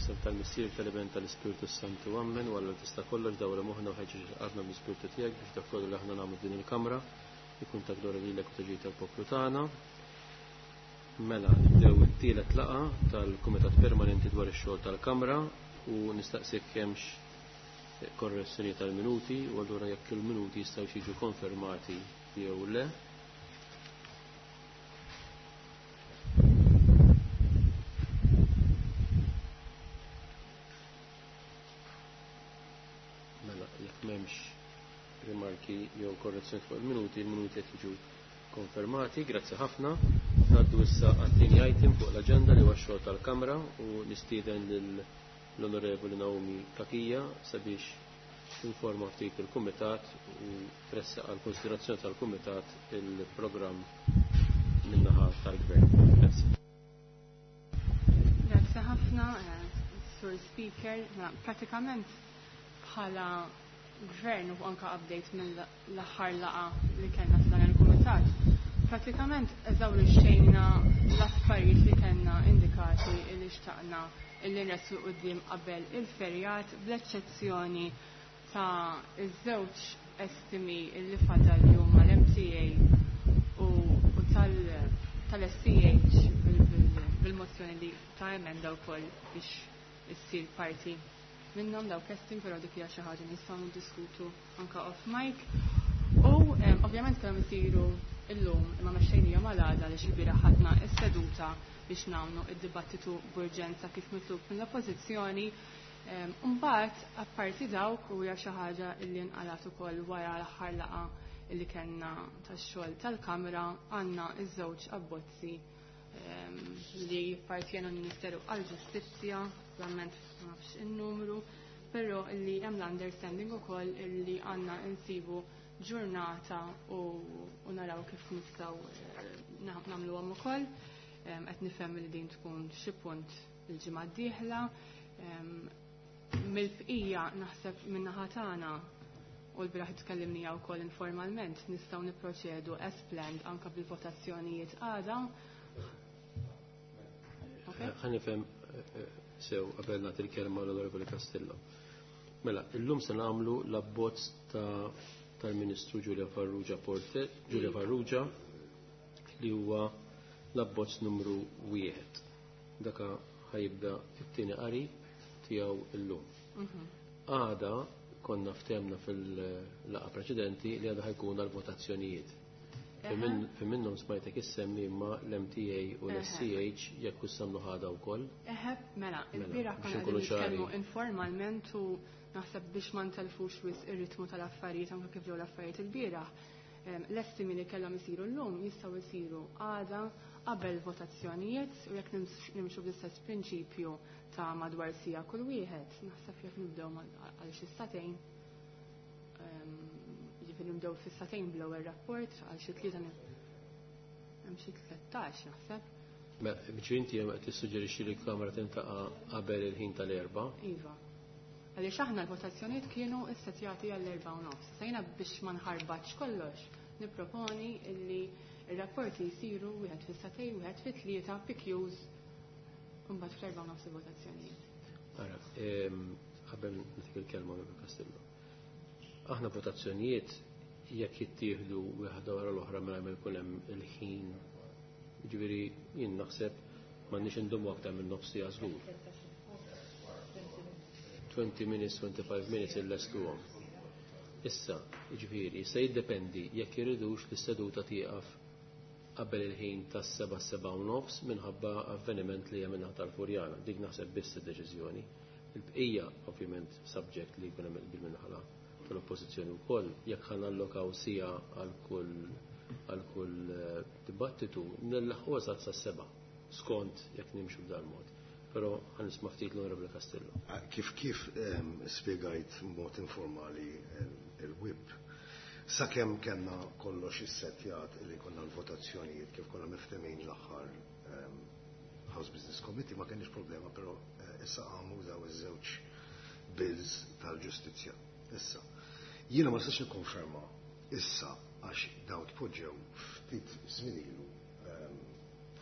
F'isem tal-Missier, tal-Iben, tal-Ispirtu Santu, Ammen. U Alla tista' kollox dawra moħħna u ħeġġeġ qalbna bl-Ispirtu tiegħek biex dak kollu li aħna nagħmlu f'din il-kamra ikun ta' glorja lilek u ta' ġid tal-poplu tagħna. Mela, nibdew it-tielet laqgħa tal-Kumitat Permanenti dwar ix-xogħol tal-Kamra u nistaqsik hemmx korrezzjoni tal-minuti u allura jekk il-minuti jistgħu jiġu konfermati jew le. Mela, jekk m'hemmx rimarki jew korrezzjoni fuq il-minuti, il-minuti qed jiġu konfermati. Grazzi ħafna. Ngħaddu issa għat-tieni item fuq l-aġenda li huwa x-xogħol tal-Kamra u nistieden lill-Onorevoli Naomi Cachia sabiex tinforma ftit il-Kumitat u tressaq għal konsiderazzjoni tal-Kumitat il-programm min-naħa tal-Gvern. Grazzi. Grazzi ħafna, Sur Speaker. Pratikament bħala gvern u anka update mill-aħħar laqgħa li kellna f'dan il-kumitat. Pratikament eżawrixxejna l-affarijiet li kellna indikati li xtaqna illi nressu quddiem qabel il-ferjat bl-eċċezzjoni ta' iż-żewġ estimi illi fadal li huma l-MTA u tal-SCH bil-mozzjoni li ta' emenda wkoll biex issir parti minnhom dawk estimi, però dik hija xi ħaġa nistgħu niddiskutu anka off mic. U ovvjament kellhom isiru illum imma mexxejnihom għal għada għaliex il-bieraħ ħadna s-seduta biex nagħmlu id-dibattitu b'urġenza kif mitlub mill-Oppożizzjoni. Mbagħad apparti dawk u hija xi ħaġa li nqalat ukoll wara l-aħħar laqgħa li kellna tax-xogħol tal-Kamra, għandna iż-żewġ abbozzi li jippartjenu l-Ministeru għall-Ġustizzja, ovvjament ma nafx in-numru, però li hemm l-understanding ukoll li għandna insibu ġurnata u naraw kif nistgħu nagħmluhom ukoll. Qed nifhem li din tkun xi punt il-ġimgħa d-dieħla. Mill-bqija naħseb min-naħa tagħna u l-bieraħ tkellimnija wkoll informalment nistgħu nipproċedu as planned anke bil-votazzjonijiet għada. Ħa nifhem sew qabel nagħti l-kelma l-Onorevoli Castillo. Mela, illum se nagħmlu l-abbozz tal-Ministru Julia Farrugia Porte, Julia Farrugia, li huwa l-abbozz numru 1. Daka ħajibda it-tieni qari tiegħu illum. Għada konna ftemna fil-laqgħa preċedenti li għada ħajkun għal-votazzjonijiet. Fi minnhom smajtek issemmi imma l-MTA u l-SCH jekk issemmu ħada wkoll. Eħe, mela, Mela, il-bieraħ biex konna inkunu qegħdin nitkellmu ċari. informalment u naħseb biex ma ntelfux wisq ir-ritmu tal-affarijiet anke kif ġew l-affarijiet il-bieraħ. L-estimi li kellhom isiru llum jistgħu jsiru għada qabel votazzjonijiet u jekk nimxu bl-istess prinċipju ta' madwar sija kull wieħed, naħseb jekk nibdew għal xi satejn, jiġifieri nibdew fis-satejn bl-ewwel rapport għal xi tlieta hemm xi 13 naħseb. Mela, biex inti hemm qed tissuġġerixxi li l-Kamra tintaqa' qabel il-ħin tal-erba'. Iva. Għaliex aħna l-votazzjonijiet kienu ssettjati għall-erba' u nofs. Sejna biex ma nħarbatx kollox, nipproponi illi ir-rapporti jsiru wieħed fis-satej, wieħed fit-tlieta, PQs, u mbagħad fl-erba' u nofs il-votazzjonijiet. Ara, qabel nagħtik il-kelma Onorevoli Castillo. Aħna votazzjonijiet jekk jittieħdu wieħda wara l-oħra mela ma jkun hemm il-ħin. Jiġifieri jien naħseb m'għandniex indumu aktar minn nofs siegħa żgur. 20 minutes, 25 minutes illestuhom. Issa, jiġifieri, se jiddependi jekk iridux li s-seduta tieqaf qabel il-ħin tas-seba' seba' u nofs minħabba avveniment li hemm minnaħa tal-Furjana. Dik naħseb biss id-deċiżjoni. Il-bqija, ovvjament, subject li jkun hemm qbil minnaħa tal-oppożizzjoni wkoll, jekk ħa nallokaw siegħa għal kull dibattitu, nilħqu eżatt sas-seba' skont jekk nimxu b'dan mod. Però ħa nisma' ftit l-Onorevoli Castillo. Kif spjegajt b'mod informali il-whip, sakemm kellna kollox issettjat li konna l-votazzjonijiet kif konna miftemin l-aħħar House Business Committee ma kenniex problema, però issa għamu daw iż-żewġ bills tal-ġustizzja. Issa, jiena ma nistax nikkonferma issa għax daw tpoġġew ftit żmien ilu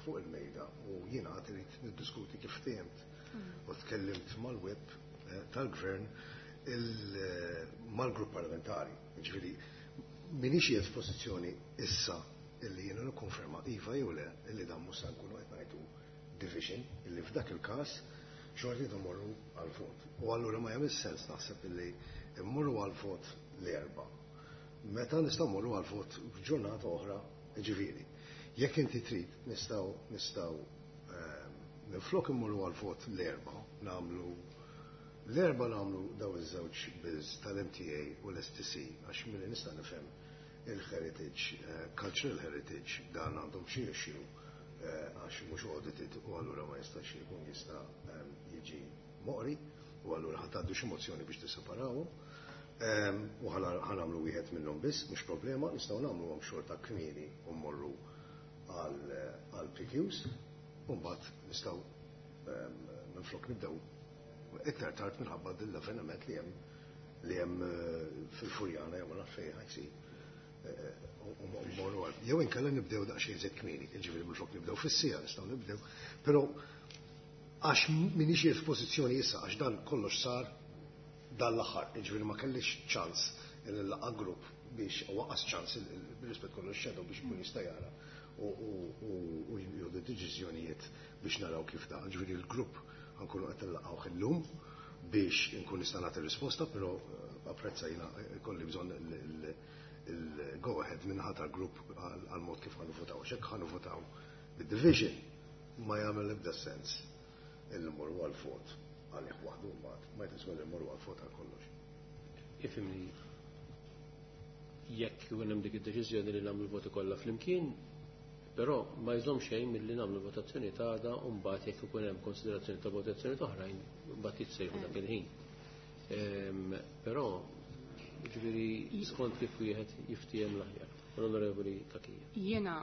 fuq il-mejda u jiena għad irid niddiskuti kif ftiehmt U tkellimt mal-whip tal-gvern, mal-grupp parlamentari. Ġifieri, m'iniex qiegħed f'pożizzjoni issa illi jiena nikkonferma iva jew le illi dan mhux se nkunu qed ngħidu division, illi f'dak il-każ xorti mmorru għal-vot. U allura ma jagħmel sens naħseb illi mmorru għal-vot l-Erbgħa. Meta nistgħu mmorru għal-vot f'ġurnata oħra, ġifieri. Jekk inti trid nistgħu minflok immorru għal-vot l-Erbgħa, nagħmlu l-Erbgħa nagħmlu daw iż-żewġ bills tal-MTA u l-STC, għax milli nista' nifhem il-heritage, cultural heritage, dan għandhom xi issue għax mhux audited u allura ma jistax jkun jista' jiġi moqri u allura ħa tgħaddu xi mozzjoni biex tisseparawhom. U ħa nagħmlu wieħed minnhom biss, mhux problema, nistgħu nagħmluhom xorta kmieni u mmorru għal PQs, u mbagħad nistgħu minflok nibdew iktar tard minħabba l-avveniment li hemm fil-Furjana jew ma naf fejn ħa jsir. U mmorru għal. Jew inkella nibdew daqsxejn żed kmieni, jiġifieri minflok nibdew fis-siegħa nistgħu nibdew. Però għax m'iniex f'pożizzjoni issa, għax dan kollox sar dan l-aħħar, jiġifieri ma kellix ċans il-laqa grupp biex, u lanqas ċans bil-rispett kollox shadow biex ikun jista' jara u jieħdu deċiżjonijiet biex naraw kif da. Ġifieri l-grupp ħa nkunu qed niltaqgħu illum biex nkun nista' nagħti risposta, però apprezza jiena kolli bżonn il-go ahead minn tal-grupp għal-mod kif ħa nivvotaw. Xek ħa nivvotaw bid-division ma jagħmel ebda sens illi mmorru għal-vot għalih waħdu mbagħad ma jtiswa li mmorru għal-vot għal kollox. Ifhimni, jekk ikun hemm dik id-deċiżjoni li nagħmlu voti kollha flimkien, però ma jżomm xejn milli nagħmlu votazzjoni ta' għada u mbagħad jekk ikun hemm konsiderazzjoni ta' votazzjoni oħrajn mbagħad jitsejħu dak il-ħin. Però ġifieri skont kif wieħed jiftiehem l-aħjar. L-Onorevoli Cachia. Jiena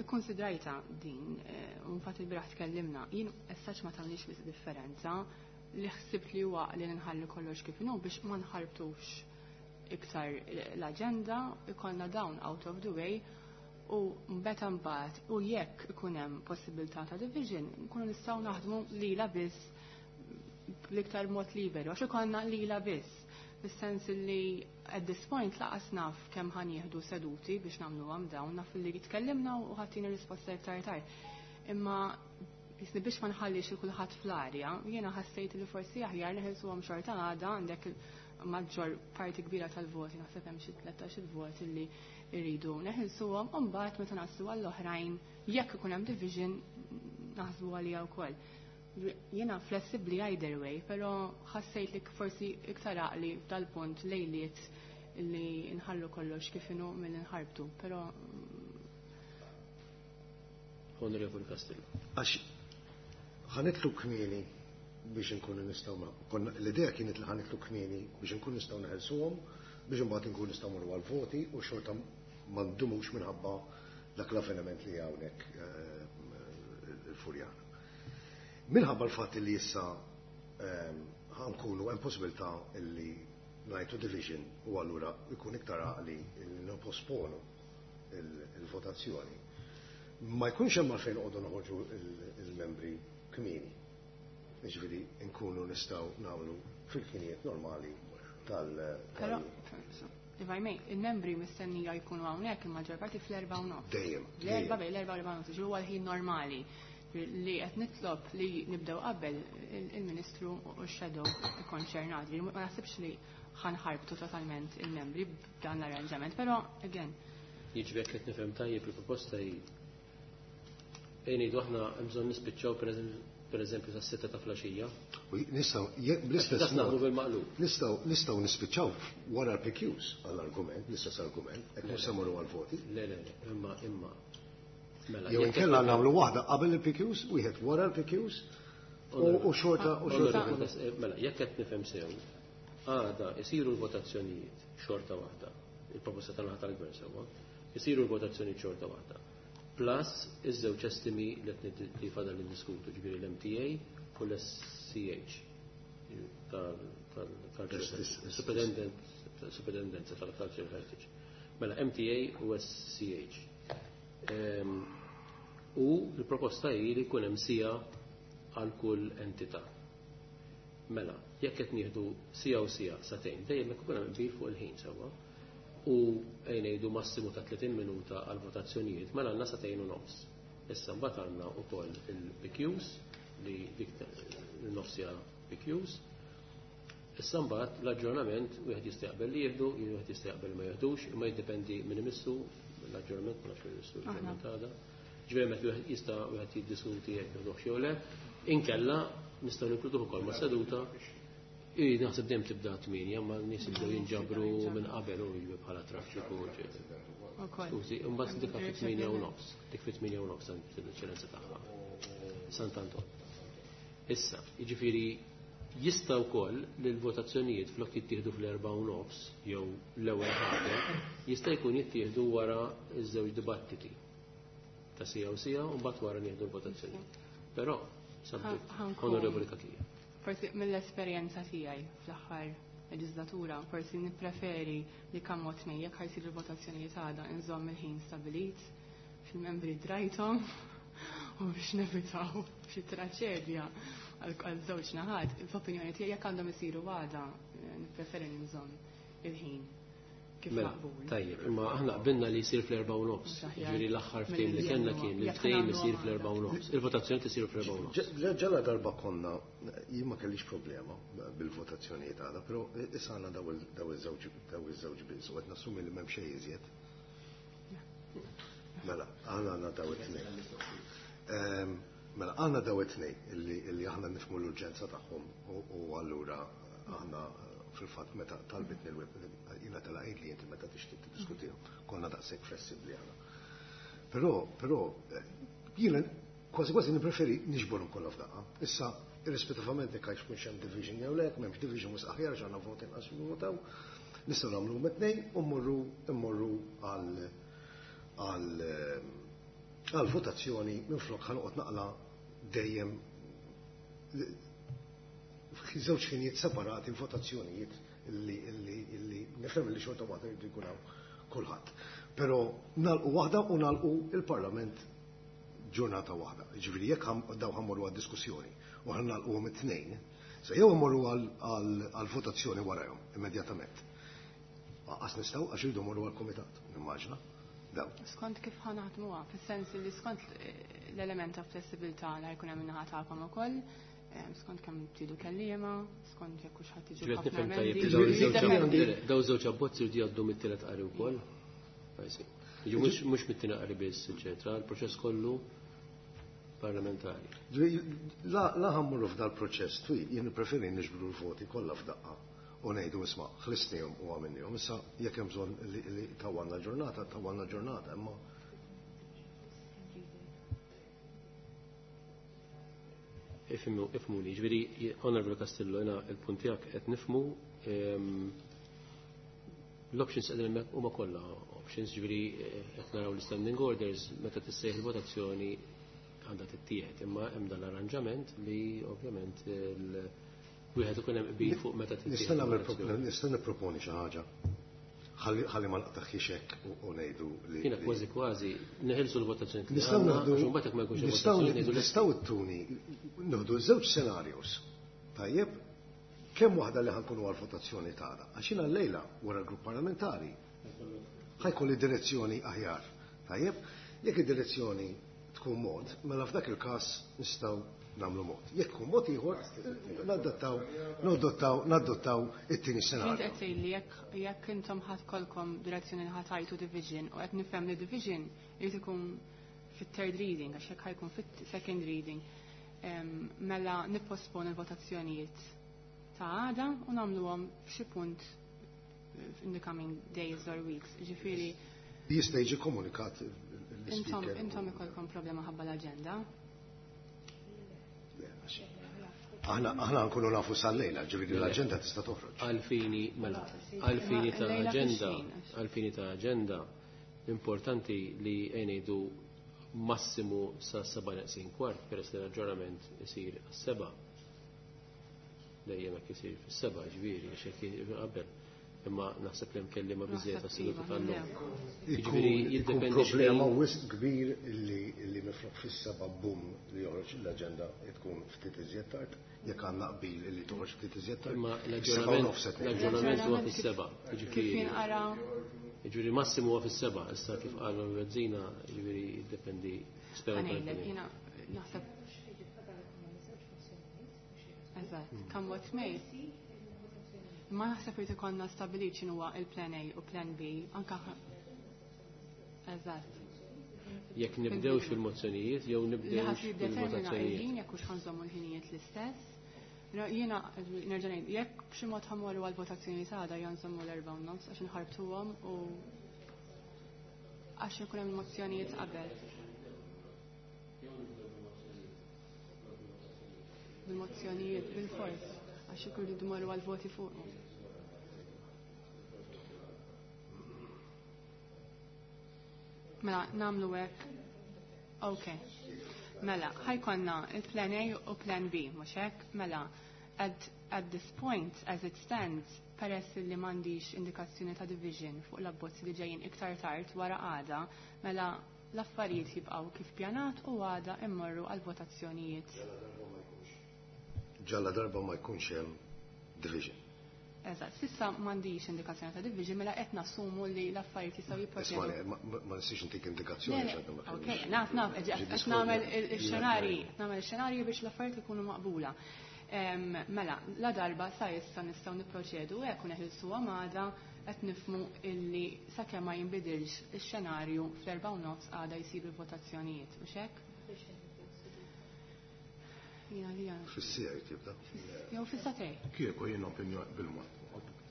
ikkonsidrajta din, u infatti il-bieraħ tkellimna, jien essaċ ma tagħmlix biss differenza, li ħsibt li huwa li nħallu kollox kif inhu biex ma nħarbtux iktar l-aġenda, ikollna dawn out of the way u mbeta mbagħad u jekk ikun hemm possibilità ta' division, nkunu nistgħu naħdmu lila biss bl-iktar mod liberu, għax ikollna lila biss. Fis-sens li at this point lanqas naf kemm ħa nieħdu seduti biex nagħmluhom dawn, naf li tkellimna u ħattini risposta iktar tard. Imma jisni biex ma nħallix il kulħadd fl-arja, jiena ħassejt li forsi aħjar neħilsuhom xorta għada, għandek il-maġġor parti kbira tal-voti, naħseb hemm xi 13 il-vot illi rridu neħilsuhom, u mbagħad meta naslu għall-oħrajn jekk ikun hemm division naħsbu għalija wkoll. Jiena flessibbli either way, però ħassejt li forsi iktar għaqli f'dal-punt lejliet li nħallu kollox kif inhu milli nħarbtu, però Onorevoli Castillo. Għax ħa nitilqu kmieni biex nkunu nistgħu l-idea kienet li ħa nitilqu kmieni biex nkunu nistgħu neħelsuhom biex imbagħad nkunu nistgħu mmorru għal-voti u xorta ma ndumux minħabba dak l-avveniment li hawnhekk il-Furjana. Minħabba l-fatt li issa ħa nkunu hemm possibilità li ngħidu division u allura jkun iktar għaqli li nipposponu il-votazzjoni. Ma jkunx hemm għalfejn noqogħdu noħorġu il-membri kmieni. Jiġifieri nkunu nistgħu nagħmlu fil-ħinijiet normali tal Però, if I may, il-membri mistennija jkunu hawnhekk il-maġġor parti fl-4:30. Dejjem. L-Erbgħa, bejn l-4 u l-4:30, ġifieri huwa l-ħin normali li qed nitlob li nibdew qabel il-Ministru u x-shadow ikkonċernat. Ma naħsibx li ħa nħarbtu totalment il-membri b'dan l-arranġament, però again, Jiġifieri jekk qed nifhem tajjeb, il-proposta hi ejn ngħidu aħna hemm bżonn nispiċċaw per eżempju sas-6 ta' filgħaxija. U nistgħu bl-istess Dak naħdmu mod bil-maqlub. nistgħu nispiċċaw wara l-PQs għall-argument, l-istess argument, hekk mhux se mmorru għall-voti. Le, le, le, imma. Mela, Jew jekk inkella nagħmlu waħda qabel il-PQs, wieħed wara l-PQs u xorta. Onorevoli, mela, jekk qed nifhem sew, għada isiru l-votazzjonijiet xorta waħda, il-proposta tal-naħa tal-gvern sewwa, isiru l-votazzjonijiet xorta waħda. Plus iż-żewġ estimi li qed li fadal li ndiskutu, ġifieri l-MTA u l-SCH tal-Superintendenza tal-Cultural Heritage. Mela MTA u SCH. U l-proposta hi li jkun hemm siegħa għal kull entità. Mela, jekk qed nieħdu sija u sija sagħtejn, dejjem jekk ikun hemm qbil fuq il-ħin sewwa. U ngħidu massimu ta' 30 minuta għal votazzjonijiet, mela għandna sagħtejn u nofs. Issa mbagħad għandna wkoll il-PQs li dik il-nofsija PQs. Issa mbagħad l-aġġornament wieħed jista' jaqbel li jieħdu, wieħed jista' jaqbel li ma jieħdux, imma jiddependi minn imissu l-aġġornament, ma nafx imissu l-aġġornament għada. Ġifieri meta wieħed jista' wieħed jiddiskuti jekk jieħduh jew le. Inkella nistgħu ninkluduh ukoll ma' seduta. I naħseb dejjem tibda 8, ma n-nies jibdew jinġabru minn qabel u jiġu bħala traffiku. Skużi, imbagħad dik fit-8:30, dik fit-8:30 l-eċċellenza tagħha. Sant'Anton. Issa, jiġifieri jista' wkoll li l-votazzjonijiet flok jittieħdu fl-4:30 jew l-ewwel ħaġa, jista' jkun jittieħdu wara ż-żewġ dibattiti ta' sija u sija u mbagħad wara nieħdu l-votazzjonijiet. Però, subject, Onorevoli Cachia. Forsi mill-esperjenza tiegħi fl-aħħar leġislatura, forsi nippreferi li kemm mod jekk ħa jsiru l-votazzjonijiet għada nżomm il-ħin stabilit fil-membri drajthom u biex nevitaw xi traċedja għal żewġ naħat, f'opinjoni tiegħi jekk għandhom isiru għada nippreferi nżomm il-ħin kif Mela, maqbul. tajjeb, imma aħna qbilna li jsir fl-4:30. Ġifieri l-aħħar ftehim li kellna kien li ftehim isir fl-4:30. Il-votazzjoni tisir fl-4:30. Ġala darba konna, jien ma kellix problema bil-votazzjonijiet għada, però issa għandna daw iż-żewġ bills u qed nassumi li m'hemm xejn iżjed. Mela, aħna għandna daw it-tnejn. Mela, għandna daw it-tnejn illi aħna nifhmu l-urġenza tagħhom u allura aħna fil-fatt meta talbitni l-whip, jiena telaqgħid li inti meta tixtieq tiddiskutihom, konna daqshekk flessibbli aħna. Però jiena kważi kważi nippreferi niġborhom kollha f'daqqa. Issa, irrispettivament jekk għax mhux hemm division jew le, m'hemmx division mhux aħjar għax għandna voti inqas votaw, nistgħu nagħmlu tnejn u mmorru għal votazzjoni minflok ħanoqgħod naqla dejjem żewġ ħinijiet separati votazzjonijiet illi nifhem li xorta waħda jridu jkun hawn kulħadd. Però nagħlqu waħda u nagħlqu il-Parlament ġurnata waħda. Ġifieri jekk daw ħammorru għad-diskussjoni u ħan nagħlquhom it-tnejn, se jew immorru għal votazzjoni warahom immedjatament. Qas nistgħu għax iridu mmorru għall-kumitat, nimmaġina. Daw. Skont kif ħa naħdmuha, fis-sens li skont l-element ta' flessibilità li ħa jkun hemm min-naħa tagħkom ukoll, skont kemm tridu kelliema, skont jekk hux ħadd tiġu Ġifieri ħafna nifhem tajjeb emendi. li daw iż-żewġ Jiddependi. daw żewġ abbozzi jridu jgħaddu mit-tielet qari wkoll. Jiġu mhux mit-tieni qari biss, eċetera, il-proċess kollu parlamentari. La ħa mmorru f'dal proċess twil, jien preferi niġbru l-voti kollha f'daqqa u ngħidu isma' ħlisnihom u għamilnihom. Issa jekk hemm bżonn li tawalna ġurnata, tawalna ġurnata, imma Ifhmuni, ġifieri, Honorable Castillo, jiena il-punt tiegħek qed nifhmu l-options qegħdin hemmhekk huma kollha options, ġifieri qed naraw l-standing orders meta tissejħ il-votazzjoni għandha tittieħed, imma hemm dan l-arranġament li ovvjament wieħed ikun hemm qbil fuq meta tittieħed. Nista' nagħmel il-votazzjoni. nista' nipproponi xi ħaġa. Ħalli ma naqtaħħiex hekk u ngħidu li Jiena kważi kważi neħilsu l-votazzjoni li Nistgħu għandna, naħdu għax imbagħad jekk ma jkunx hemm nistgħu votazzjoni ngħidu nistgħu ttuni nieħdu żewġ scenarios. Tajjeb, kemm waħda li ħa nkunu għal-votazzjoni tagħna. Għax jiena llejla wara l-grupp parlamentari ħa jkolli direzzjoni aħjar. Tajjeb, jekk id-direzzjoni tkun mod, mela f'dak il-każ nistgħu nagħmlu mod. Jekk tkun mod ieħor, nadottaw it-tieni Int scenarju. qed tgħid li jekk intom ħa jkollkom direzzjoni li ħa tgħidu division u qed nifhem li division irid ikun fit-third reading għax jekk ħa jkun fit-second reading mela nippospon il-votazzjonijiet ta' għada u nagħmluhom f'xi punt in the coming days or weeks. Ġifieri Jista' jiġi komunikat intom l-speaker. intom ikolkom problema ħabba l-aġenda. Aħna nkunu nafu sal-lejla, ġifieri l-aġenda tista' toħroġ. Għalfini, mela, għalfini ta' Lejla aġenda, fix-xejn, għalfini ta' aġenda, importanti li ngħidu massimu sa' 6:45, peress li l-aġġornament isir għas-7. Dejjem hekk isir fis-7, ġifieri, għax hekk qabel. Imma naħseb li hemm kelliema biżejjed Naħseb għas-seduta iva, tal-lum. nibdew. Jiġifieri Ikun jiddependi problema x'ħin- wisq kbir illi minflok fis-7 bum li joħroġ l-aġenda tkun ftit iżjed tard, jekk għandna qbil illi toħroġ ftit iżjed tard. Imma Is-7 u nofs qed ngħidu. l-aġġornament huwa L-aġġornament fis-7. Kif Jiġifieri jinqara jiġifieri massimu huwa fis-7, issa kif qal Bezzina, jiġifieri jiddependi spera ħa ngħidlek, jiena naħseb. Eżatt, come what may. Ma naħseb irid ikollna stabbilit x'inhuwa il-plan A u plan B, anka eżatt. Jekk nibdewx fil-mozzjonijiet jew Li nibdewx ħadd jiddetermina fil-votazzjonijiet. il-ħin jekk hux ħa nżommu l-ħinijiet l-istess. Però jiena nerġa' ngħid, jekk b'xi mod ħa mmorru għall-votazzjoni għada jew nżommu l-4:30 għax inħarbtuhom u għax ikun hemm mozzjonijiet qabel. Bil-mozzjonijiet, bil-fors, għax ikun rridu morru għal-voti fuqhom. Mela, nagħmlu hekk. Ok. Mela, ħa jkollna il-plan A u plan B, mhux hekk? Mela, at this point, as it stands, peress li m'għandix indikazzjoni ta' division fuq l-abbozzi li ġejjin iktar tard wara għada, mela l-affarijiet jibqgħu kif pjanat u għada immorru għal votazzjonijiet. Ġalla darba ma jkunx hemm division. Eżatt, s'issa m'għandix indikazzjoni ta' division, mela qed nassumu li l-affarijiet jistgħu Ismani, jipproċedu. ma nistax intik Le, indikazzjoni le, x'għadna ma Ok, kellniex. naf, naf, Ġi qed diskorsi. nagħmel il-xenarji, nagħmel il-xenarji biex l-affarijiet ikunu maqbula. Mela, la darba sa issa nistgħu nipproċedu hekk u neħilsu għada qed nifhmu illi sakemm ma jinbidilx ix-xenarju fl-4:30 għada jsir il-votazzjonijiet, mhux hekk? Jiena li għana. Fis-siegħa tibda. Jew fis-sagħtejn. Kieku jien opinjon bil-mod,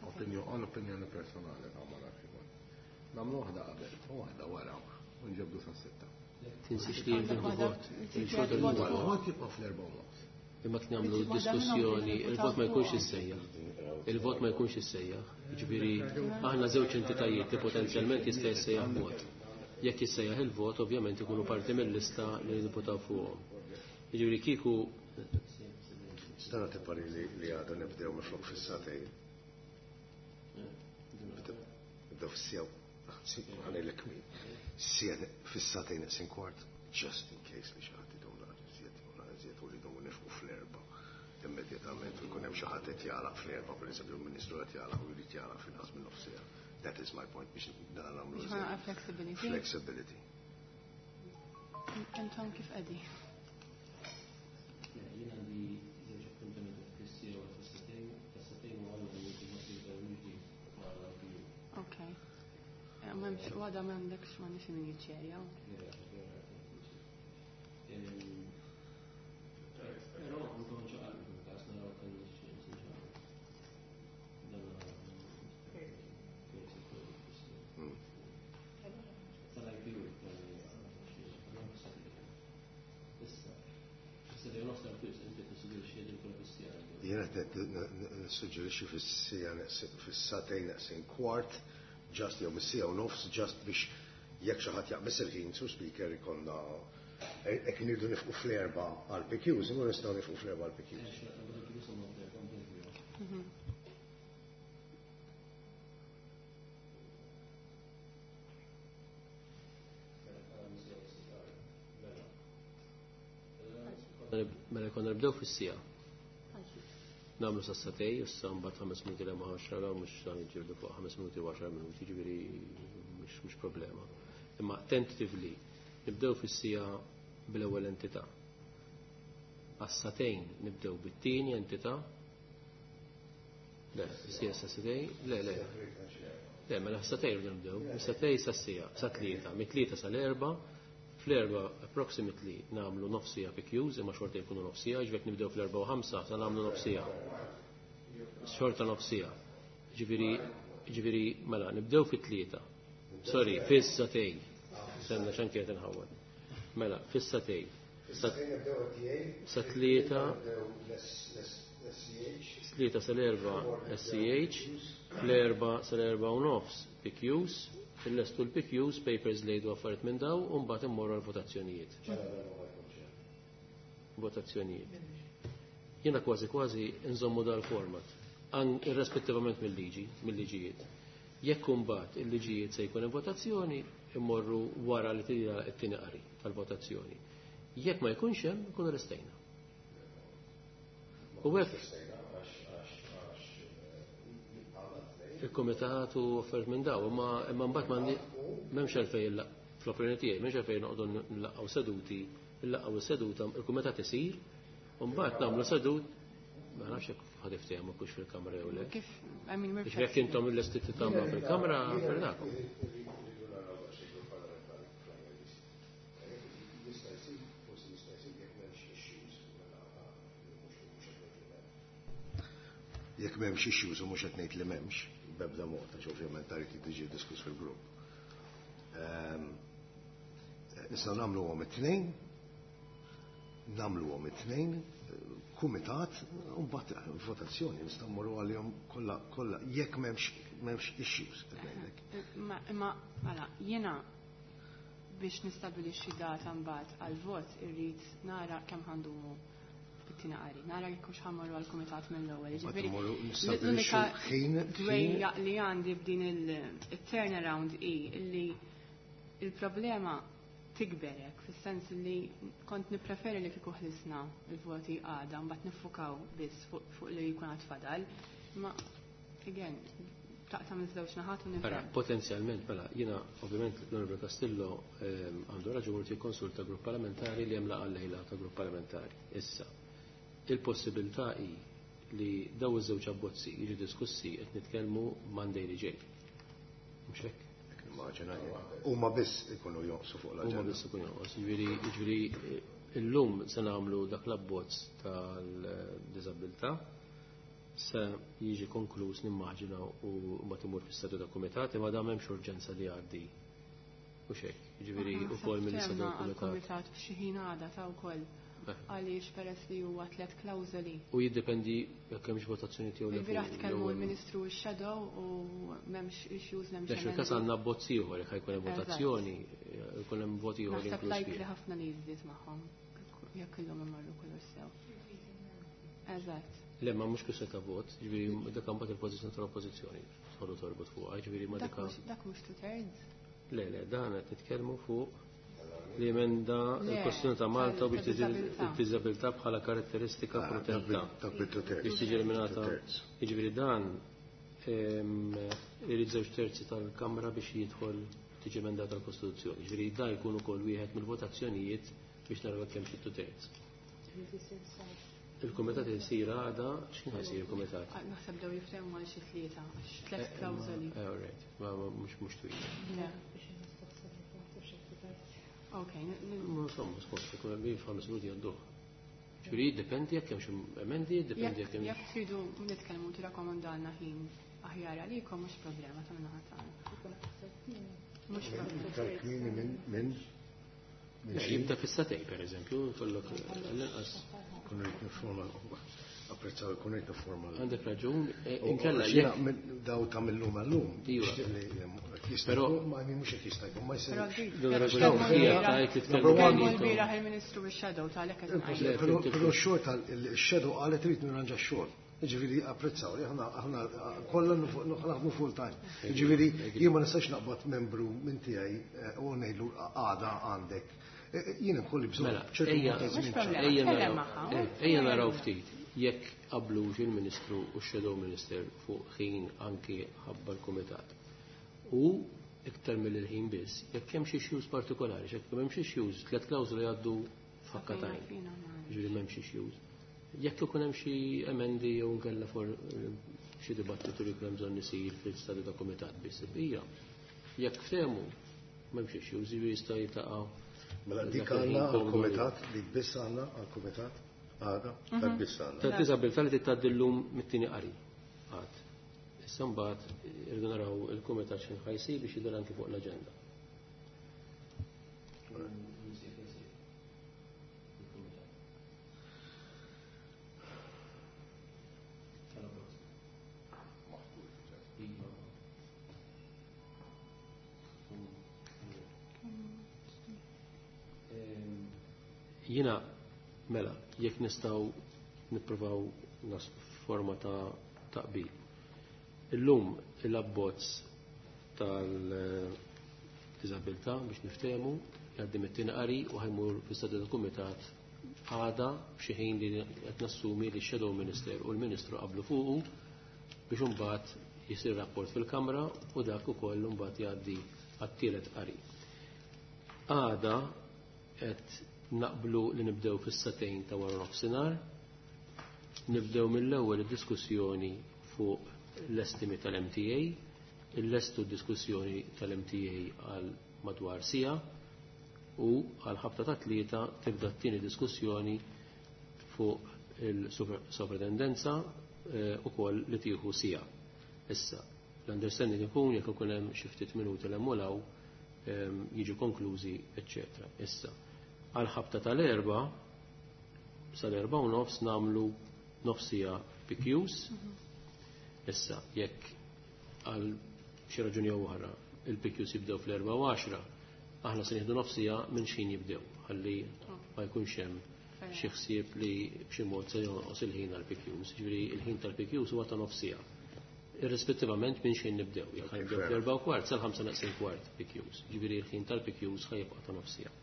opinjon, opinjoni personali ta' ma nafx ikun. Nagħmlu waħda qabel u waħda wara u nġebdu sa' 6. Tinsiex li jridu Waħda- vot. trid Il-xorta vot li fuq. Vot jibqa' fl-4:30. Imma kien nagħmlu Trid waħda minnhom diskussjoni, trid il-vot ma jkunx fuqhom. issejjaħ. Il-vot ma jkunx issejjaħ. Jiġifieri aħna żewġ entitajiet li potenzjalment jista' jissejjaħ vot. Jekk jissejjaħ il-vot, ovvjament ikunu parti mill-lista li nivvotaw fuqhom. Jiġifieri kieku Stana tippari li għada nibdew minflok fis-sagħtejn. Nibdew fis-siegħa. Ħa ngħidlek min. Siegħa fis-sagħtejn neqsin kwart, just in case li xi ħadd idum naqra iżjed, jew naqra iżjed u li jdumu nifqu fl-4 immedjatament u jkun hemm xi ħadd qed jagħlaq fl-4, pereżempju l-Ministru qed jagħlaq u jrid jagħlaq f'inqas minn nofs siegħa. That is my point biex nagħmlu Biex iżjed. naqra flexibility. Flexibility. Intom kif qegħdin? Jien għandi żewġ appuntamenti fis-siegħa u fis-sagħtejn, fis-sagħtejn u għandna meeting ma' Ok. M'hemmx u għada m'għandekx m'għandix min jiċċerja. Però anke nċaqalqu fil-każ naraw kemm nċaqalqu. Dan Tal-IPU Issa, issa li nofs tal-fis, inti tissuġġerixxi li jkun fis-siegħa. Jiena qed nissuġġerixxi fis-siegħa fis-sagħtejn neqsin kwart, just jew mis-siegħa u nofs, just biex jekk xi ħadd jaqbeż il-ħin su speaker ikollna hekk nirdu nifqu fl-4 għal PQs, imma nistgħu nifqu fl-4 għal PQs. Mela konna nibdew fis-siegħa. Nagħmlu sas-sagħtejn, issa mbagħad 5 minuti le ma' 10 mhux dan jiġġieldu fuq 5 minuti u 10 minuti, jiġifieri mhux problema. Imma tentatively nibdew fis-siegħa bl-ewwel entità. Għas-sagħtejn nibdew bit-tieni entità. Le, siegħa sa sagħtejn, le, le. Le, mela sagħtejn rridu nibdew, mis-sagħtejn sas-siegħa, sa 3, mit-3 sal-4, fl-4 approximately nagħmlu nofs siegħa PQs, imma xorta jkunu nofs siegħa, ġifieri nibdew fl-4:05 sa nagħmlu nofs siegħa. Xorta nofs siegħa. Ġifieri, mela, nibdew fit-3. Sorry, fis-sagħtejn. Senna x'anke qed inħawwad. Mela, fis-sagħtejn. Sa 3, 3 sal-4 SCH, fl-4 sal-4:30 PQs, fil-lestu l-PQs, papers lejdu affarijiet minn daw, u mbagħad immorru għal-votazzjonijiet. Votazzjonijiet. Jiena kważi kważi nżommu dal-format. Irrispettivament mill-liġi, mill-liġijiet. Jekk imbagħad il-liġijiet se jkun hemm votazzjoni, immorru wara li tira t-tieni qari tal-votazzjoni. Jekk ma jkunx hemm, ikunu restejna. U hekk il-komitat u offert minn daw, imma mbagħad m'hemmx għalfejn fl-opinjoni tiegħi m'hemmx għalfejn noqogħdu nlaqgħu seduti, nlaqgħu seduta, il-kumitat isir, u mbagħad nagħmlu sedut, ma nafx jekk ħad iftehmu kux fil-kamra jew le. Kif, I mean, we're Biex jekk intom il-lesti tagħmlu fil-kamra, fernakom. Jekk m'hemmx issues u mhux qed ngħid li m'hemmx, b'ebda mod, għax ovvjament trid tiġi diskuss fil-grupp. Nistgħu nagħmluhom it-tnejn, nagħmluhom it-tnejn, kumitat, u mbagħad votazzjoni nistgħu mmorru għalihom kollha kollha jekk m'hemmx issues qed ngħidlek. Imma mela, jiena biex nistabilixxi data mbagħad għall-vot irrid nara kemm ħandumu fit-tieni qari. Nara jekk hux ħammorru għall-kumitat mill-ewwel. Mbagħad Jiġifieri, immorru nistabbilixxu l-unika ħin dwejja li għandi b'din il-turnaround hi li il-problema tikberek, fis-sens li kont nippreferi li kieku ħlisna il-voti għada, mbagħad niffukaw biss fuq li jkun għad fadal. Ma again, taqta' minn żewġ naħat u nifhem. Ara, potenzjalment, mela, jiena ovvjament l-Onorevole Castillo għandu raġun li jikkonsulta grupp parlamentari li hemm laqgħa lejla ta' grupp parlamentari. Issa, il-possibilità hi li daw iż-żewġ abbozzi jiġu diskussi qed nitkellmu Monday li ġej. Mhux hekk? Immaġina jien. Huma biss ikunu jonqsu fuq Huma l-aġenda. biss ikunu jonqsu. Jiġifieri illum se nagħmlu dak l-abbozz tal-diżabilità se jiġi konkluż nimmaġina u mbagħad imur fis-statu ta' kumitat, imma dan m'hemmx urġenza li jgħaddi. U xejn, jiġifieri Aħna ukoll mill-istatu ftehmna ta' kumitat. għall-kumitat f'xi ħin għada ta' wkoll. Għaliex peress li huwa 3 klawżoli. U jiddependi jekk hemmx votazzjoni tiegħu le Il-bieraħ fuq tkellmu l-ewwel. l-Ministru u x-Shadow u m'hemmx issues, m'hemmx Għax fil-każ emendi. għandna abbozz ieħor jekk ħajkun hemm votazzjoni, jkun hemm voti ieħor Naħseb inkluż likely fih. ħafna li jiżdied magħhom jekk illum imorru kollox sew. Eżatt. Le, ma mhux kwistjoni ta' vot, jiġifieri dak imbagħad il-pożizzjoni tal-oppożizzjoni tħollu torbot fuqha, jiġifieri ma Dak dik mhux two thirds? Le, le, dan qed nitkellmu fuq li emenda Le, il-Kostituzzjoni ta' Malta biex tiġi tal-disabilità. il-diżabilità bħala karatteristika protetta. Dak bil-two thirds. Biex tiġi eliminata. Two thirds. Jiġifieri dan irid żewġ terzi tal-Kamra biex jidħol tiġi emendata l-Kostituzzjoni. Jiġifieri dan jkun ukoll wieħed mill-votazzjonijiet biex naraw kemm xi two thirds. Il-kumitat isir għada, x'kien ħajsir il-kumitat? Naħseb dew jiftehmu għal xi tlieta, għax tliet klawżoli. All right, ma mhux twil. Le. Ok, Ma insomma, skont, ikun hemm 5 minuti għadduh. Ġifieri jiddependi jekk hemm xi emendi, jiddependi jekk hemm Jekk tridu nitkellmu tirrakkomandalna ħin aħjar għalikom mhux problema ta' minnaħa tagħna. Mhux problema. Tal-kmini minn Le, jibda fis-satej, per eżempju, kollok l-inqas. Kun rrid niforma, apprezzaw, kun rrid niforma. Għandek raġun, U inkella għax jiena jekk minn daw ta' mill-lum għal-lum, Iva. nixtieq li jista' Però jkun, ma mhux qed jista' jkun, ma jsirx. Però dik, Don jekk raġun, tkellmu hija l-bieraħ- tajt li tkellmu Number one. tkellmu bejniethom. l-bieraħ il-Ministru u x-Shadow tal-hekk qed ngħid. Le, Però x-xogħol tal-Shadow qalet irid nirranġa x-xogħol. Jiġifieri apprezzaw li aħna kollha naħdmu full time. Jiġifieri jien ma nistax naqbad membru minn tiegħi u ngħidlu għada għandek. Jien ikolli bżonn Mela, ċertu ejja, mod ta' żmien Mhux problema. ċar. ejja Tkellem naraw, magħha, ejja naraw ftit jekk qablux il-Ministru u x-Shadow Minister fuq ħin anki ħabba l-Kumitat. U iktar mill-ħin biss, jekk hemm xi issues partikolari, jekk hemm xi issues, tliet klawżoli jgħaddu f'ħakkatajn. Fina, ma- Ġifieri m'hemmx issues. Jekk ikun hemm xi emendi jew nkella for xi dibattitu li jkun hemm bżonn isir fil-stadju ta' kumitat biss hija. Jekk ftehmu m'hemmx issues, jiġifieri jista' jiltaqa' Mela dik dak il-ħin għandna komdu li- għall-kumitat, dik biss għandna għall-kumitat, għada, dak biss għandna. Ta' diżabilità li titgħaddi llum mit-tieni qari. Għad. Issa mbagħad irridu naraw il-kumitat x'inhu ħajsir biex jidher anki fuq l-aġenda. Jiena, mela, jekk nistgħu nippruvaw nas forma ta' taqbil. Illum l-abbozz tal-diżabilità biex niftehmu jgħaddi mit-tieni qari u ħajmur fl-istadju tal-kumitat għada f'xi ħin li qed nassumi li x-Shadow Minister u l-Ministru qablu fuqu biex imbagħad jisir rapport fil-Kamra u dak ukoll imbagħad jgħaddi għat-tielet qari. Għada qed naqblu li nibdew fis-satejn ta' wara nofsinhar, nibdew mill-ewwel id-diskussjoni fuq l-estimi tal-MTA, il-lestu d-diskussjoni tal-MTA għal madwar sija u għal ħabta ta' 3 tibda t-tieni diskussjoni fuq il-sovratendenza ukoll li tieħu sija. Issa, l-understanding ikun jekk ikun hemm xi ftit minuti l hemm jiġu konklużi, eċċetera. Issa, għal ħabta tal-4 sal-4:30 nagħmlu nofsija PQs. Issa, jekk għal xi raġuni jew oħra il-PQs jibdew fl-4:10, aħna se nieħdu nofsija minn xejn jibdew, ħalli ma jkunx hemm xi ħsieb li b'xi mod se jonqos il-ħin għall-PQs. Ġifieri il-ħin tal-PQs huwa ta' nofsija. Irrispettivament minn xejn nibdew, jekk ħanibdew fl-4:15 sal-4:45 PQs. Ġifieri il-ħin tal-PQs ħajibqa' ta' nofsija.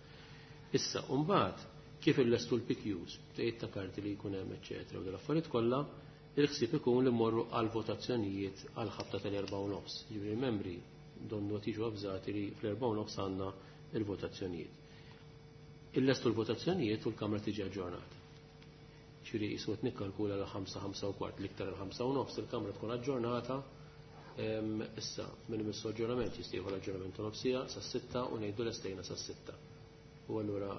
Issa, mbagħad kif illestu l-PQs, tgħid ta' karti li jkun hemm, eċċetera, u dal-affarijiet kollha, il-ħsieb ikun li mmorru għal votazzjonijiet għal ħabta tal-4:30. Ġifieri l-membri donnu qed jiġu avżati li fl-4:30 għandna il-votazzjonijiet. Illestu l-votazzjonijiet u l-Kamra tiġi aġġornata. Ġifieri qisu qed nikkalkula l 5, 5:15, l-iktar l-5:30 il-Kamra tkun aġġornata. Issa, minn imissu aġġornament jista' jieħu l-aġġornament ta' nofsija sas-6 u ngħidu lestejna sas-6. U allura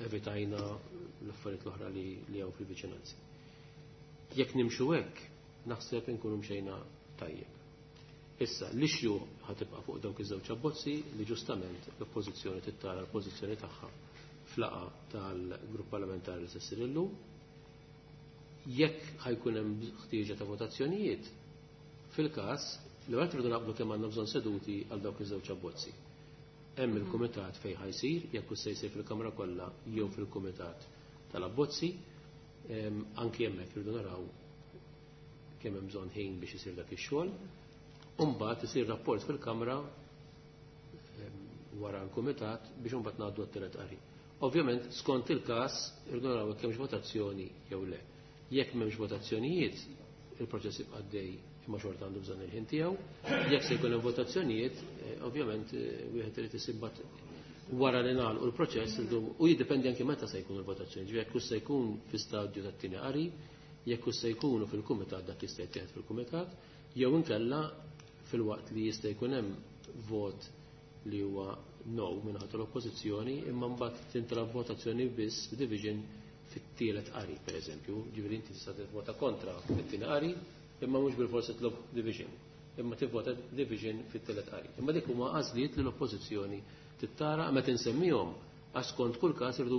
evitajna l-affarijiet l-oħra li hawn fil-viċinanzi. Jekk nimxu hekk, naħseb inkunu mxejna tajjeb. Issa, l-issue ħatibqa' fuq dawk iż-żewġ abbozzi li ġustament l-oppożizzjoni tittara l-pożizzjoni tagħha flaqa tal-grupp parlamentari li se ssir illum. Jekk ħajkun hemm ħtieġa ta' votazzjonijiet, fil-każ li għal tridu naqblu kemm għandna bżonn seduti għal dawk iż-żewġ abbozzi. Hemm il-kumitat fejn ħajsir, jekk se jsir fil-Kamra kollha jew fil-kumitat tal-abbozzi, anki hemmhekk irridu naraw kemm hemm bżonn ħin biex isir dak ix-xogħol. U mbagħad isir rapport fil-Kamra wara l-kumitat biex imbagħad ngħaddu għat-tielet qari. Ovvjament, skont il-każ, irridu naraw jekk hemmx votazzjoni jew le. Jekk m'hemmx votazzjonijiet, il-proċess jibqa' għaddej imma xorta għandu bżonn il-ħin tiegħu. Jekk se jkun hemm votazzjonijiet, ovvjament wieħed irid isibbat wara li nagħlqu l-proċess u jiddependi anke meta se jkunu l-votazzjoni. Ġifieri jekk se jkun fi stadju tat-tieni qari, jekk se jkunu fil-kumitat dak jista' jittieħed fil-kumitat, jew inkella fil-waqt li jista' jkun hemm vot li huwa no minn l-oppożizzjoni, imma mbagħad tintalab votazzjoni biss division fit-tielet qari, pereżempju. Ġifieri inti tista' tivvota kontra fit-tieni qari, imma mhux bil-forsi tlob division, imma tivvota division fit-tielet qari. Imma dik huma għażliet li l-oppożizzjoni tittara meta insemmihom għax skont kull każ irdu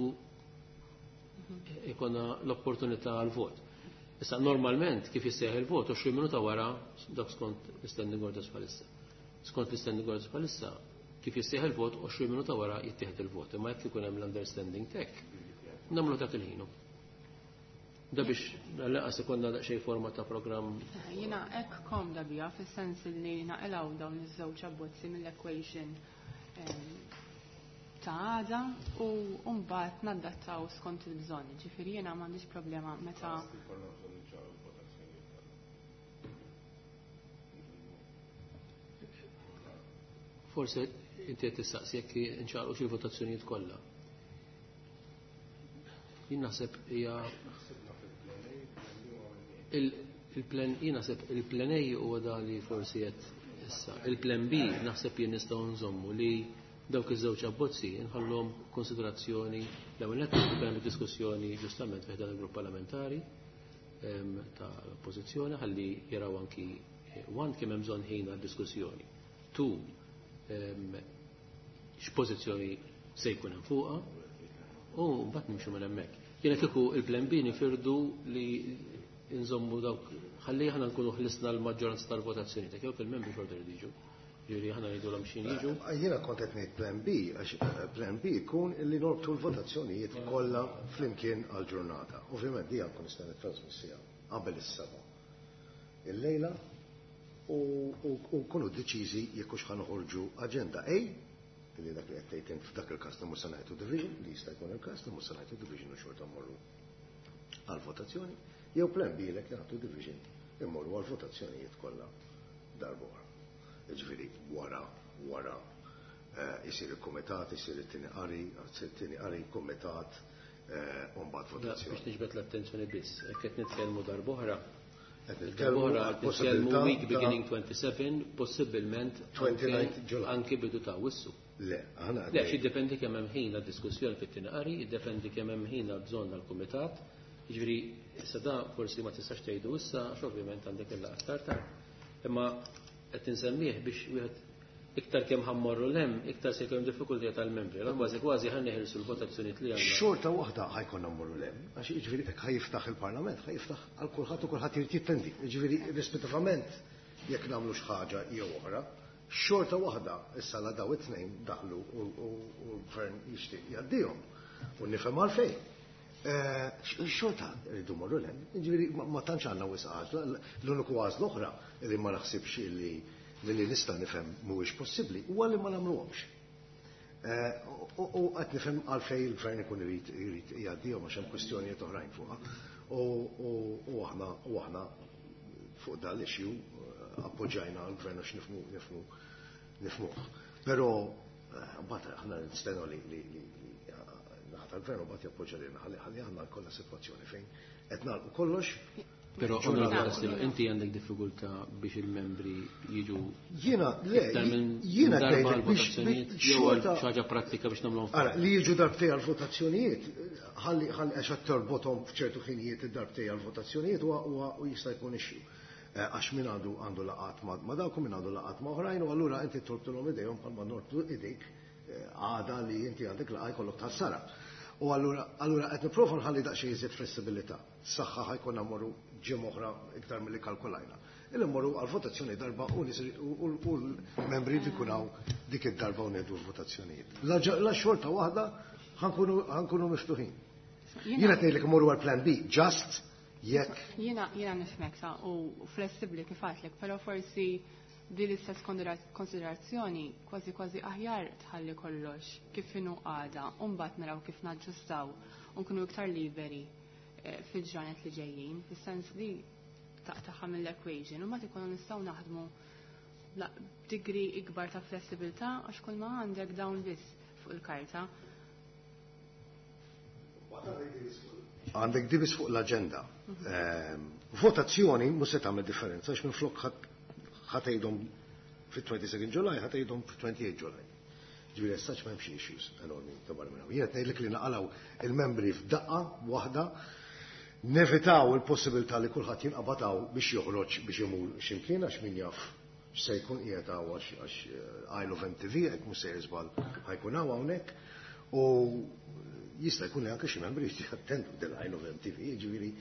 ikonna l-opportunità għal vot. Issa normalment kif jissejjaħ il-vot 20 minuta wara dak skont l-standing orders bħalissa. Skont l-standing orders bħalissa kif jissejjaħ il-vot 20 minuta wara jittieħed il-vot. Imma jekk ikun hemm l-understanding tek, nagħmlu dak il-ħinu. Da biex laqas ikonna daqsxejn forma ta' programm. Jiena hekk komda bija fis-sens li naqilgħu dawn iż-żewġ abbozzi mill-equation ta' għada u mbagħad naddattaw skont il-bżonn. Ġifieri jiena m'għandix problema meta Forse inti qed tistaqsi jekk inċaqlu xi votazzjonijiet kollha. Jien naħseb hija il-plan, jien naħseb il-plan A huwa da li forsi qed issa. Il-plan B naħseb jien nistgħu nżommu li dawk iż-żewġ abbozzi nħallhom konsiderazzjoni l-ewwel nett hemm diskussjoni ġustament fih dan il-grupp parlamentari tal-oppożizzjoni ħalli jaraw anki one kemm hemm bżonn ħin għad-diskussjoni. Two, x'pożizzjoni se jkun hemm fuqha u mbagħad nimxu minn hemmhekk. Jiena kieku il-plan B nifirdu li nżommu dawk ħalli aħna nkunu ħlisna l-maġġoranza tal-votazzjoni ta' jew il-membri xorta li jiġu. Ġifieri aħna ngħidulhom x'in jiġu. Jiena kont qed ngħid plan B għax plan B jkun illi norbtu l-votazzjonijiet kollha flimkien għall-ġurnata. Ovvjament di għandkom nista' nittrasmissija qabel is-seba'. illejla u nkunu deċiżi jekk hux ħa noħorġu aġenda A, li dak li qed tgħid int f'dak il-każ li mhux se ngħidu division, li jista' jkun il-każ li mhux se ngħidu division u xorta mmorru għal-votazzjoni, jew plan B lek nagħtu division immorru għal-votazzjonijiet kollha darba oħra. Jiġifieri wara isir il-kumitat, isir it-tieni qari, isir it-tieni qari, kumitat, u mbagħad votazzjoni. Biex niġbed l-attenzjoni biss, hekk qed nitkellmu darb'oħra. Qed nitkellmu Darb'oħra għal qed nitkellmu possibilità week ta' beginning 27, possibilment 29 July. anki bidu ta' Awwissu. Le, aħna Le, għaddej. xi jiddependi kemm hemm ħin għad-diskussjoni fit-tieni qari, jiddependi kemm hemm ħin għal bżonn għall-kumitat. Jiġifieri issa da forsi ma tistax tgħidu issa għax ovvjament għandek il-laqgħa aktar tard. Imma qed insemmih biex wieħed iktar kemm ħa mmorru 'l hemm, iktar se jkun diffikultà tal-membri. Allora kważi kważi ħa neħilsu l-votazzjonijiet li għandna. Xorta waħda ħa jkollna mmorru 'l hemm, għax jiġifieri hekk ħa jiftaħ il-Parlament, ħa jiftaħ għal kulħadd u kulħadd irid jittendi. Jiġifieri rispettivament jekk nagħmlu xi ħaġa jew oħra, xorta waħda issa la daw it-tnejn daħlu u l-gvern jixtieq jgħaddihom. U nifhem għalfejn. Xorta rridu mmorru 'l hemm, jiġifieri ma tantx għandna wisq għażla, l-uniku għażla oħra li ma naħsibx illi milli nista' nifhem mhuwiex possibbli huwa li ma nagħmluhomx. U qed nifhem għalfejn il-gvern ikun irid jgħaddihom għax hemm kwistjonijiet oħrajn fuqha. U aħna fuq dan l-issue appoġġajna l-gvern għax nifhmuh. Però mbagħad aħna nistennew li naħa tal-gvern u mbagħad jappoġġa lilna ħalli aħna jkollna sitwazzjoni fejn qed nagħlqu kollox. Però, Ġurnata. Onorevole Castillo, inti għandek diffikultà biex il-membri jiġu Jiena, le, iktar minn jiena darba ngħidlek għal votazzjonijiet, biex jew għal xorta xi ħaġa prattika biex nagħmluhom Ara, li jiġu darbtej għal votazzjonijiet, ħalli għax qed torbothom f'ċertu ħinijiet id-darbtej għal votazzjonijiet huwa u jista' jkun issue. Għax min għandu laqat ma' dawk u min għandu laqat ma' oħrajn u allura inti torbtulhom idejhom bħalma norbtu idejk għada li inti għandek laqgħa jkollok tħassara. U allura qed nipprova nħalli daqsxejn iżjed flessibilità. Saħħa ħa jkollna mmorru ġimgħa oħra iktar milli kalkulajna. Illi mmorru għal-votazzjoni darba u l-membri jkun hawn dik id-darba u ngħidu l-votazzjonijiet. La xorta waħda ħa nkunu miftuħin. Jiena qed ngħidlek immorru għal plan B, just jekk. Jiena nifhmek sa u flessibbli kif għedtlek, però forsi din l-istess konsiderazzjoni kważi kważi aħjar tħalli kollox kif inhu għada u mbagħad naraw kif naġġustaw u nkunu iktar liberi fil-ġranet li ġejjin, fis-sens li taqtaħa mill-equation u mbagħad ikunu nistgħu naħdmu b'degree ikbar ta' flessibilità għax kull ma għandek dawn biss fuq il-karta. Għandek di biss fuq l-agenda. Votazzjoni mhux se tagħmel differenza għax minflok ħa tgħidhom fit-22 July, ħa tgħidhom fit-28 July. Ġifieri as such m'hemmx issues enormi ta' barra minn hawn. Jien qed ngħidlek li naqalgħu il-membri f'daqqa waħda, nevitaw il-possibilità li kulħadd jinqabad hawn biex joħroġ biex imur x'imkien għax min jaf x'se jkun qiegħed hawn għax Isle of MTV hekk mhux se jiżbal ħa jkun hawn hawnhekk. U jista' jkun li anke xi membri jattendu del Isle of MTV, jiġifieri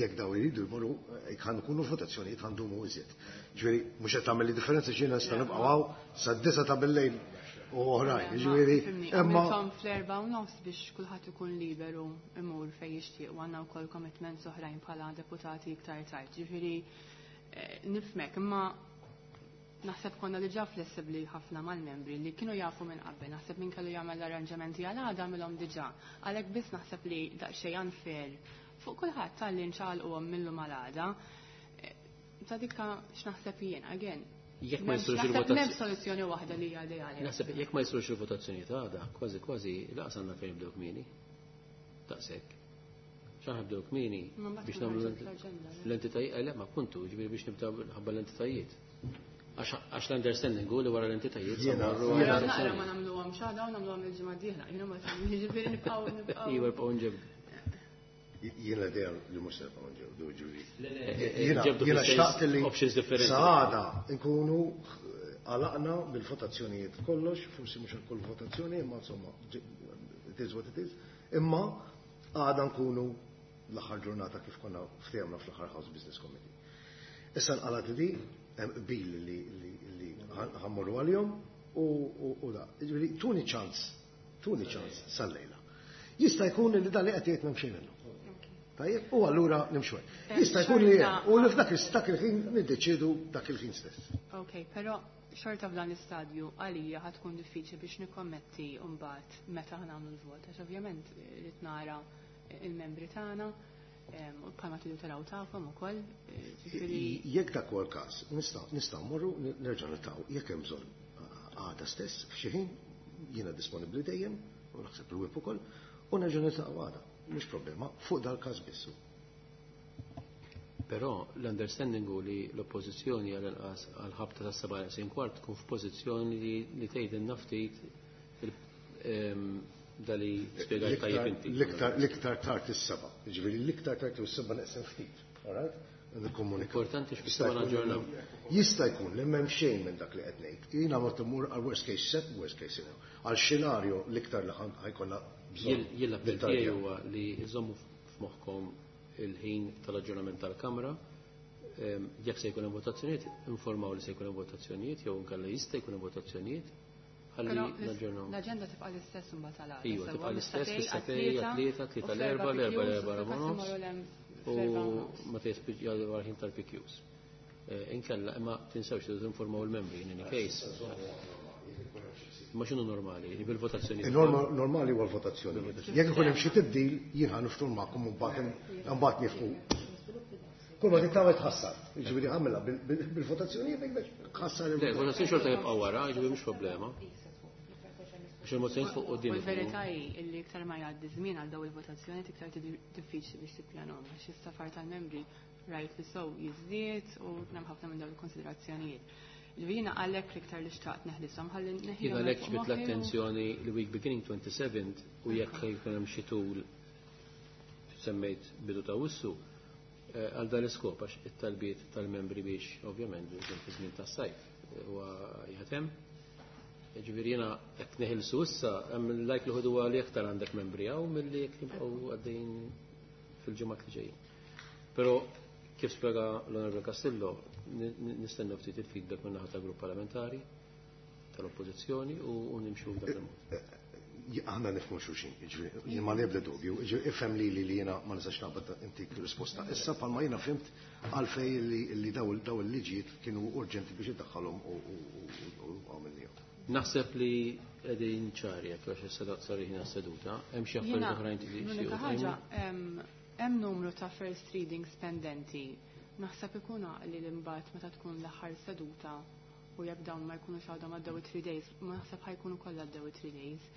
jekk daw iridu jmorru jekk ħa nkunu votazzjonijiet ħa ndumu iżjed. Ġifieri mhux qed tagħmel differenza x'jiena nista' nibqgħu hawn sad-9 ta' billejl u oħrajn. Jiġifieri Fhimni, imma għamilthom fl-4:30 biex kulħadd ikun liberu imur fejn jixtieq u għandna wkoll commitments oħrajn bħala deputati iktar tard. Ġifieri nifhmek, imma naħseb konna diġà flessibbli ħafna mal-membri li kienu jafu minn qabel, naħseb min kellu jagħmel l-arranġamenti għal għada għamilhom diġà. Għalhekk biss naħseb li daqsxejn unfair fuq kulħadd talli nċaqalquhom millum għal għada. Ta' dikka x'naħseb jien, again. Jekk ma jsirux Naħseb il-votazzjoni. m'hemm soluzzjoni waħda li hija ideali. Naħseb jekk ma jsirux il-votazzjoni ta' għada, kważi kważi laqas għandna fejn nibdew kmieni. Daqshekk. X'aħna nibdew kmieni Ma mbagħad biex tkun nagħmlu ħarġet l-aġenda, le? l-entitajiet, le ma appuntu, ġifieri biex nibdew ħabba l-entitajiet. Għax l-understanding hu li wara l-entitajiet samarru Però għal naqra ma votazzjoni. nagħmluhom x'għada u nagħmluhom il-ġimgħa d-dieħla. Jiena ma jiġifieri nibqgħu. Iva nibqgħu nġebdu. Jiena l-idea li mhux se nibqgħu nġebdu, ġifieri. Le, Jiena ġebdu jiena fis-sens xtaqt li options differenti. Saħada nkunu għalaqna bil-votazzjonijiet kollox, forsi mhux għal kull votazzjoni, imma insomma, it is what it is. Imma għada nkunu l-aħħar ġurnata kif konna ftehemna fl-aħħar House Business Committee. Issa nqalat di, hemm qbil li ħa mmorru għalihom u da. Ġifieri tuni ċans, tuni ċans sal-lejla. Jista' jkun li dan li qed jgħid m'hemm xejn minnu. Tajjeb, u allura nimxu hekk. Jista' jkun li Xorta- hemm, u li f'dak dak il-ħin niddeċiedu dak il-ħin stess. Ok, però xorta f'dan l-istadju għalija ħa tkun diffiċli biex nikkommetti mbagħad meta ħa nagħmlu l-vot, għax ovvjament rrid nara il-membri tagħna u bħalma tridu taraw tagħkom ukoll, ġifieri Jekk dak huwa l-każ, nistgħu mmorru nerġa' niltaqgħu jekk hemm bżonn għada stess f'xi ħin jiena disponibbli dejjem u naħseb il-whip ukoll u nerġa' niltaqgħu għada. Mhux problema, fuq dal-każ biss. Però l-understanding hu li l-oppożizzjoni għal-inqas għal-ħabta ta' 7:15 tkun f'pożizzjoni li tgħidilna ftit dali spjegajt tajjeb inti. L-iktar tard is-7, jiġifieri l-iktar tard is-7 neqsin ftit, all right? Nikkomunika. Importanti x'bis naġġornaw. Jista' jkun li m'hemm xejn minn dak li qed ngħid. Jiena ma tmur għal worst case set, worst case scenario. Għal xenarju l-iktar li ħajkollna bżonn. Jien l-appell Nittarja. tiegħi huwa li jżommu f'moħħkom il-ħin tal-aġġornament tal-Kamra. Jekk se jkun hemm votazzjonijiet, informaw li se jkun hemm votazzjonijiet jew inkella jista' jkun hemm votazzjonijiet. Ħalli Però naġġornaw. l-aġenda tibqa' l-istess imbagħad għal għada. Iva, Sewwa, tibqa' l-istess, mis-satej fis-satej, għat-tlieta, għat-tlieta, tlieta u fl-erba' l-erba', l-erba' PQs, l-erba' u l-erba' fil-każ nofs. imorru l-hemm U fl-erba' nofs. ma tispiġġa għal ħin tal-PQs. Inkella, imma tinsewx li tinformaw il-membri in any case. Ma x'inhu normali, bil-votazzjoni. Normali huwa l-votazzjoni. Jekk ikun hemm xi tibdil, jien ħa niftur magħkom u mbagħad nifqu. Kull ma titgħawed tħassar. Jiġifieri ħammilha bil-votazzjoni biex tħassar Le, il-votazzjoni. votazzjoni xorta jibqa' wara, jiġifieri mhux problema. Biex il-mozzjoni fuq quddiem. U l-verità hi li iktar ma jgħaddi żmien għal daw il-votazzjoni iktar diffiċli biex tippjanhom għax is-safar tal-membri rajt li sow jiżdied u hemm ħafna minn dawn il-konsiderazzjonijiet. Ġifieri għalhekk l-iktar li xtaqt neħlisom ħalli neħilhom Jien għalhekk fuq ġbit moħħi u- l-attenzjoni li week beginning 27 u jekk jkun hemm xi tul semmejt bidu ta' wissu, għal dan l-iskop għax it-talbiet tal-membri biex ovvjament fi żmien tas-sajf huwa jaħdem. Ġifieri jiena qed neħilsu issa hemm il-likelihood huwa li aktar għandek membri hawn milli jekk jibqgħu għaddejjin fil-ġimgħat li ġejjin. Però kif spjega l-Onorevole Castillo, nistennew ftit il-feedback minn naħa tal-grupp parlamentari tal-oppożizzjoni u nimxu f'dak il-mod. Aħna nifhmu xulxin, jiġifieri, jien ma nibda dubju, jiġifieri, ifhem li li jiena ma nistax naqbad intik risposta. Issa bħalma jiena fhimt għalfej li daw il-liġijiet kienu urġenti biex iddaħħalhom u għamilnihom. Naħseb li qegħdin ċari jekk għax issa sar ħin seduta, hemm xi affarijiet Jiena, oħrajn li l-unika jixtiequ ħaġa, tgħidu? hemm numru ta' first readings pendenti. Naħseb ikun għaqli li mbagħad meta tkun l-aħħar seduta u jekk dawn ma jkunux għadhom għaddew 3 days, ma naħseb ħajkunu kollha għaddew 3 days.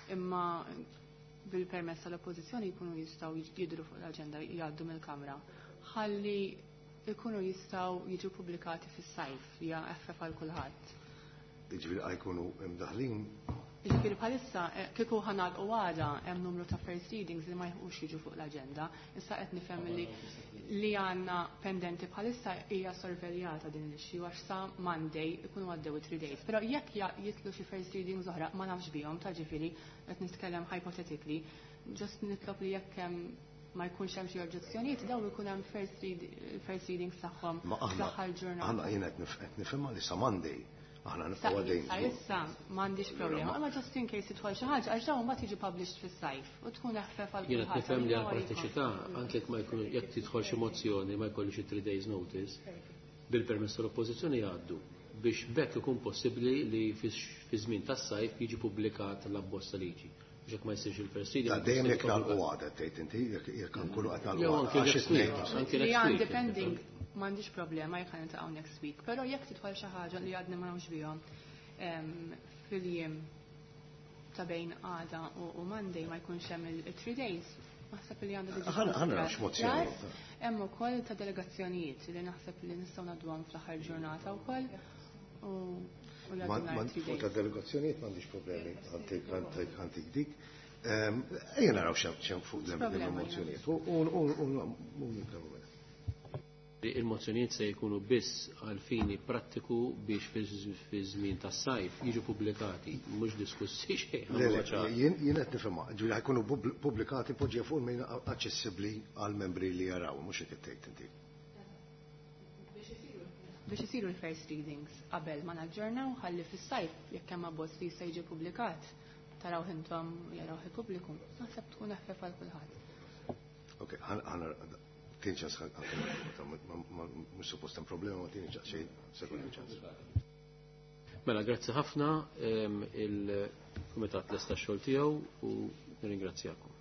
Imma bil-permess tal-oppożizzjoni jkunu jistgħu jidhru fuq l-aġenda jgħaddu mill-Kamra. Ħalli jkunu jistgħu jiġu pubblikati fis-sajf, hija eħfef għal kulħadd. Jiġifieri ħajkunu imdaħlin. Jiġifieri bħalissa, kieku ħanal u għada hemm numru ta' first readings li ma jħux jiġu fuq l-aġenda. Issa qed nifhem li għandna pendenti bħalissa hija sorveljata din l-issue għax sa Monday ikunu għaddew 3 days. Però jekk jitlu xi first readings oħra ma nafx bihom ta' ġifieri qed nitkellem hypothetically, just nitlob li jekk hemm ma jkunx hemm xi oġġezzjonijiet dawn ikun hemm first readings tagħhom Ma fl-aħħar ġurnata. aħna jiena qed nifhimha li sa Monday aħna Sa nibqgħu għaddejn. issa m'għandix problema, imma just in case tidħol xi ħaġa għax dawn mbagħad jiġu published fis-sajf u tkun eħfef għal Jiena qed kulħadd. nifhem li għal Għalina prattiċità anke jekk ma jkun jekk tidħol xi mozzjoni ma jkollix xi 3 days notice, bil-permess tal-oppożizzjoni jgħaddu biex bekk ikun possibbli li fi żmien tas-sajf jiġi pubblikat l-abbozz ta' liġi. Biex jekk ma jsirx il-first reading, Da dejjem jekk jkun nagħlqu għada tgħid inti, jekk nkunu qed nagħlqu Jew għada, anke għax next it-tnejn. week, anke Li next għandi week. pending m'għandix problema jekk ħa niltaqgħu next week, però jekk tidħol xi ħaġa li għadni ma nafx bihom, fil-jiem ta' bejn għada u Monday ma jkunx hemm il-3 days, naħseb li għandha tiġi Ħa naraw x'mozzjoni. Plus, hemm ukoll ta' delegazzjonijiet li naħseb li nistgħu ngħadduhom fl-aħħar ġurnata wkoll u jgħaddu nhar 3 Fuq ta' days. delegazzjonijiet m'għandix problemi għantik dik. Ejja naraw x'hemm fuq Problema, il-mozzjonijiet u nitkellmu mela. Il-mozzjonijiet se jkunu biss għal fini prattiku biex fi żmien tas-sajf jiġu pubblikati, mhux diskussi xejn. Le, le, jien qed nifhimha, ġifieri ħajkunu pubblikati poġġija fuq il-mejn aċċessibbli għal membri li jaraw, mhux hekk tgħid inti. Biex isiru l-first readings qabel ma naġġornaw ħalli fis-sajf jekk hemm abbozz li jista' jiġi ppubblikat taraw intom jaraw il-pubbliku. Naħseb tkun eħfef għal kulħadd. Ok, ħana tieni ċans mhux suppost hemm problema, ma tieni ċans xejn sekondi ċans. Mela, grazzi ħafna il-Kumitat lesta x-xogħol tiegħu u nirringrazzjakom.